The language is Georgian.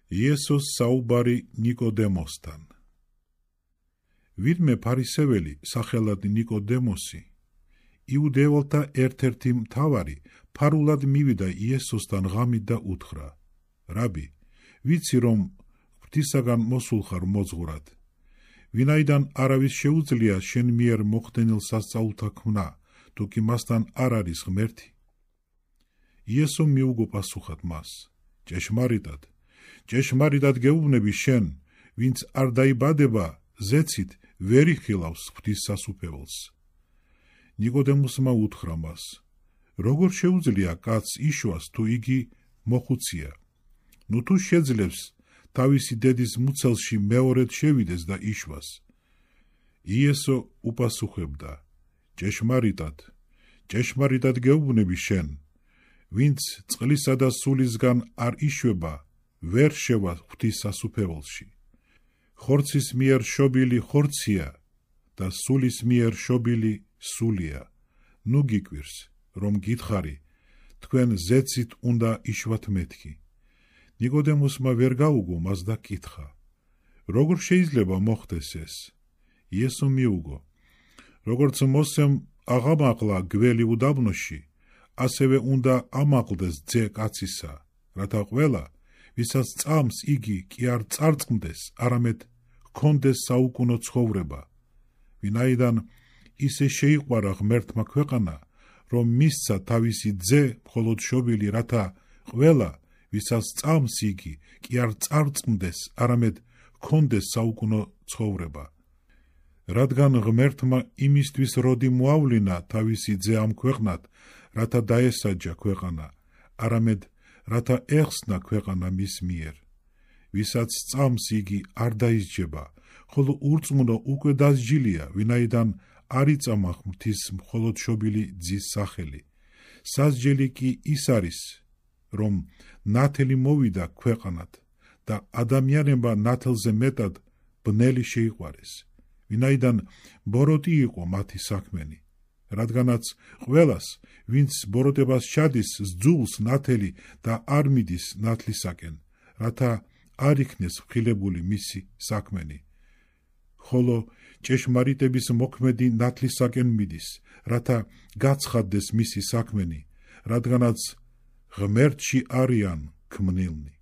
იესოს საუბარი ნიკოდემოსთან. ვინმე ფარისეველი სახელად ნიკოდემოსი, იუდეველთა ერთ-ერთი მთავარი, ფარულად მივიდა იესოსთან ღამით და უთხრა: რაბი, ვიცი რომ ღვთისაგან მოსულ ხარ მოძღვრად, ვინაიდან არავის შეუძლია შენ მიერ მოხდენილ სასწაულთა ქმნა, თუკი მასთან არ არის ღმერთი. იესომ მიუგო პასუხად მას: ჭეშმარიტად გეუბნები შენ, ვინც არ დაიბადება ზეცით, ვერ იხილავს ღვთის სასუფეველს. ნიკოდემოსმა უთხრა მას: როგორ შეუძლია კაცს იშვას, თუ იგი მოხუცია? ნუ თუ შეძლებს თავისი დედის მუცელში მეორედ შევიდეს და იშვას. იესო უპასუხებდა: ჭეშმარიტად გეუბნები შენ, ვინც წყლისა და სულისგან არ იშვება, ვერ შევა ღვთის სასუფეველში. ხორცის მიერ შობილი ხორცია და სულის მიერ შობილი სულია. ნუ გიკვირს, რომ გითხარი, თქვენ ზეცით უნდა იშვათ მეთქი. ნიკოდემოსმა ვერ გაუგო მას და კითხა: როგორ შეიძლება მოხდეს ეს? იესო მიუგო: როგორც მოსემ აღამაღლა გველი უდაბნოში, ასევე უნდა ამაღლდეს ძე კაცისა, რათა ყველა, ვისაც წამს იგი კი არ წარწმდეს, არამედ ჰქონდეს საუკუნო ცხოვრება. ვინაიდან ისე შეიყვარა ღმერთმა ქვეყანა, რომ მისცა თავისი ძე მხოლოდ შობილი, რათა ყველა, ვისაც წამს იგი კი არ წარწმდეს, არამედ ჰქონდეს საუკუნო ცხოვრება. რადგან ღმერთმა იმისთვის როდი მოავლინა თავისი ძე ამ ქვეყნად, რათა დაესაჯა ქვეყანა, არამედ რათა ეხსნა ქვეყანა მის მიერ. ვისაც წამს იგი არ დაისჯება, ხოლო ურწმუნო უკვე დასჯილია, ვინაიდან არ იწამა ღვთის მხოლოდ შობილი ძის სახელი. სასჯელი კი ის არის, რომ ნათელი მოვიდა ქვეყანად და ადამიანებმა ნათელზე მეტად ბნელი შეიყვარეს, ვინაიდან ბოროტი იყო მათი საქმენი. რადგანაც ყველას, ვინც ბოროტებას ჩადის, სძულს ნათელი და არ მიდის ნათლისაკენ, რათა არ იქნეს ხილებული მისი საქმენი. ხოლო ჭეშმარიტების მოქმედი ნათლისაკენ მიდის, რათა გაცხადდეს მისი საქმენი, რადგანაც ღმერთში არიან ქმნილნი.